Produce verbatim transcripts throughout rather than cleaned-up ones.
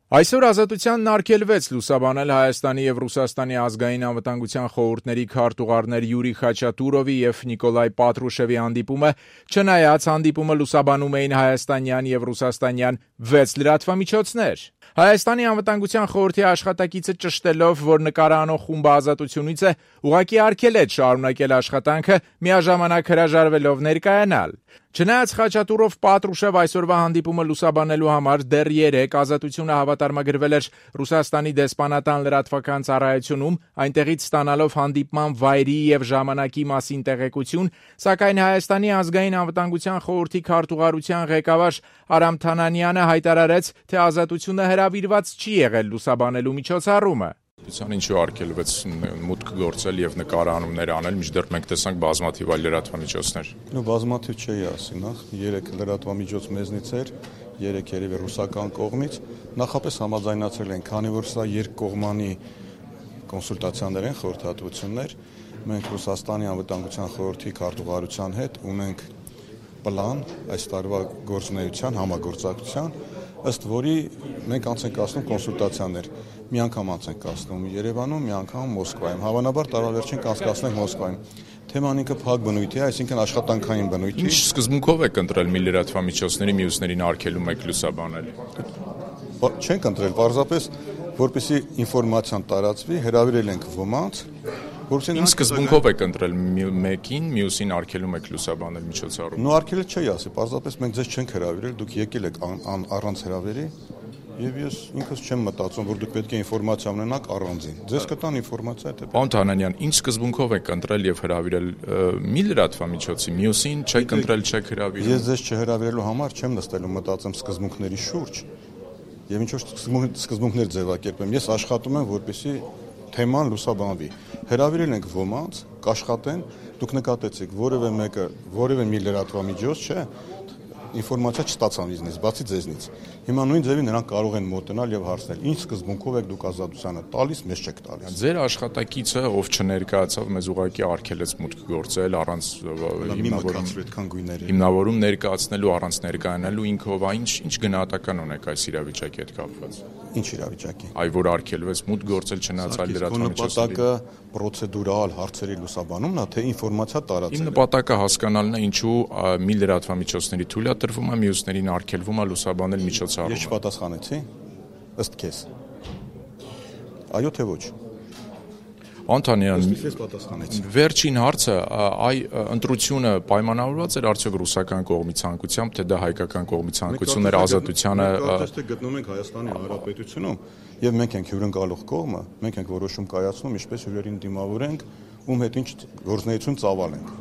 Այսօր Ազատությանն արգելվեց լուսաբանել Հայաստանի և Ռուսաստանի ազգային անվտանգության խորհուրդների քարտուղարներ Յուրի Խաչատուրովի և Նիկոլայ Պատրուշևի հանդիպումը, չնայած հանդիպումը լուսաբանում էին հայաստանյան և ռուսաստանյան վեց լրատվամիջոցներ։ Հայաստանի անվտանգության խորհրդի աշխատակիցը ճշտելով, որ նկարը անող խումբը Ազատությունից է, ուղղակի արգելեց շարունակել աշխատանքը, միաժամանակ հրաժարվելով ներկայանալ։ Չնայած Խաչատուրով-Պատրուշև այսօրվա հանդիպումը լուսաբանելու համար դեռ երեկ Ազատությունը հավատարմագրվել էր Ռուսաստանի դեսպանատան լրատվական ծառայությունում, այնտեղից ստանալով հանդիպման վայրի և ժամանակի մասին տեղեկություն, սակայն Հայաստանի ազգային անվտանգության խորհրդի քարտուղարության ղեկավար Արամ Թանանյանը հայտարարեց, թե Ազատությունը հրավիրված չի եղել լուսաբանելու միջոցառումը։ Ինչու արգելվեց մուտք գործել եւ նկարանումներ անել, մինչդեռ մենք տեսանք բազմաթիվ այլ լրատվամիջոցներ։ Նո բազմաթիվ չէի ասի, նախ երեք լրատվամիջոց մեզնից էր, երեք երևի ռուսական կողմից, նախապես համաձայնացել են, քանի որ սա երկկողմանի կոնսուլտացիաներ են, խորհրդատվություններ, մենք Ռուսաստանի անվտանգության խորհրդի քարտուղարության հետ ունենք պլան այս տարվա գործունեության համագործակցության, ըստ որի մենք անց ենք կացնում կոնսուլտացիաներ, մի անգամ անց ենք կացնում Երևանում, մի անգամ Մոսկվայում, հավանաբար տարավերջին կանցկացնենք Մոսկվայում։ Թեման ինքը փակ բնույթի է, այսինքն աշխատանքային բնույթի։ Ինչ սկզբունքով եք ընտրել մի լրատվամիջոցների մյուսներին արգելում եք լուսաբանել։ Չենք ընտրել, պարզապես որպեսզի ինֆորմացիան տարածվի, հրավիրել ենք ոմանց, որովհետեւ Ինչ սկզբունքով եք ընտրել մեկին, մյուսին արգելում եք լուսաբանել միջոցառում։ Նո արգելել չի ասի, պարզապես մենք ձեզ չենք հրավիրել, դուք եկել եք առանց հրավերի, եւ ես ինքս չեմ մտածում, որ դուք պետք է ինֆորմացիա ունենաք առանձին։ Ձեզ կտան ինֆորմացիա, թե Պարոն Թանանյան, ինչ սկզբունքով եք ընտրել եւ հրավիրել մի լրատվամիջոցի, մյուսին չեք ընտրել, չեք հրավիրել։ Ես ձեզ չհրավիրելու համար չեմ նստել ու մտածեմ սկզբունքների շուրջ։ Եվ ինչ որ սկզբունքներ ձևակերպեմ, ես աշխատում եմ, որպեսզի թեման լուսաբանվի։ Հրավիրել ենք ոմանց, կաշխատեն, դուք նկատեցիք, որևէ մեկը, որևէ մի լրատվամիջոց, չէ, ինֆորմացիա չստացան իզնից, բացի ձեզնից։ Հիմա նույն ձևի նրանք կարող են մոտենալ եւ հարցնել. Ինչ սկզբունքով եք դուք Ազատությանը տալիս, մեզ չեք տալիս։ Ձեր աշխատակիցը, ով չներկայացավ, մեզ ուղղակի արգելեց մուտք գործել առանց հիմնավորում ներկայացնելու, առանց ներկայանալու ինքով, ինչ ինչ գնահատական ունեք այս իրավիճակի հետ կապված։ Ինչ իրավիճակի։ Այ որ արգելվեց մուտք գործել չնայած այլ լրատվամիջոցների։ Նպատակը պրոցեդուրալ հարցերի լուսաբանումն է, թե ինֆորմացիա տարածելը։ Իմ նպատակը հասկանալն է, ինչու մի լրատվամիջոցների թույլատրվում է, մյուսներին արգելվում է լուսաբանել միջոցառումը։ Ես չպատասխանեցի, ըստ քեզ։ Այո թե ոչ։ Անտանյան, ես պատասխանեցի։ Վերջին հարցը, այ ընտրությունը պայմանավորված էր արդյոք ռուսական կողմի ցանկությամբ, թե դա հայկական կողմի ցանկությունն էր Ազատությանը։ Մենք գտնում ենք Հայաստանի Հանրապետությունում եւ մենք ենք հյուրընկալող կողմը, մենք ենք որոշում կայացնում, ինչպես հյուրերին դիմավորենք, ում հետ ինչ գործունեություն ծավալենք։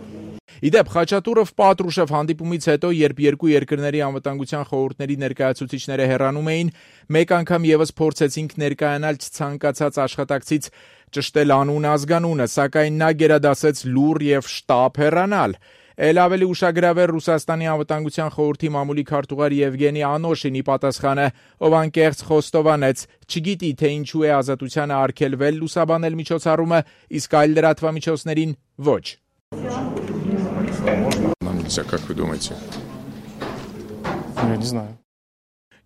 Իդեպ Խաչատուրով-Պատրուշև հանդիպումից հետո, երբ երկու երկրների անվտանգության խորհուրդների ներկայացուցիչները հեռանում էին, մեկ անգամ եւս փորձեցինք ներկայանալ ցանկացած աշխատակցից ճշտել անուն ազգանունը, սակայն նա գերադասեց լուռ եւ շտապ հեռանալ։ Էլ ավելի ուշագրավեր Ռուսաստանի անվտանգության խորհրդի մամուլի քարտուղար Եվգենի Անոշինի պատասխանը, ով անկեղծ խոստովանեց, չգիտի թե ինչու է Ազատությանը արգելվել լուսաբանել միջոցառումը, իսկ այլ լրատվամիջոցներին ոչ։ Нельзя, как вы думаете? Я не знаю.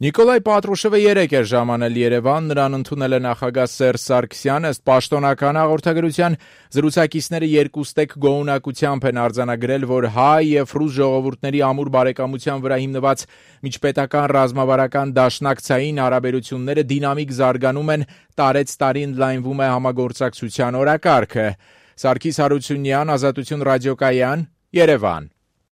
Նիկոլայ Պատրուշևը երեկ էր ժամանել Երևան, նրան ընդունել է նախագահ Սերժ Սարգսյանը, ըստ պաշտոնական հաղորդագրության, զրուցակիցները երկուստեք գոհունակությամբ են արձանագրել, որ հայ եւ ռուս ժողովուրդների ամուր բարեկամության վրա հիմնված միջպետական ռազմավարական դաշնակցային հարաբերությունները դինամիկ զարգանում են, տարեց տարի ընդլայնվում է համագործակցության օրակարգը։ Սարգիս Հարությունյան, Ազատություն ռադիոկայան, Երևան։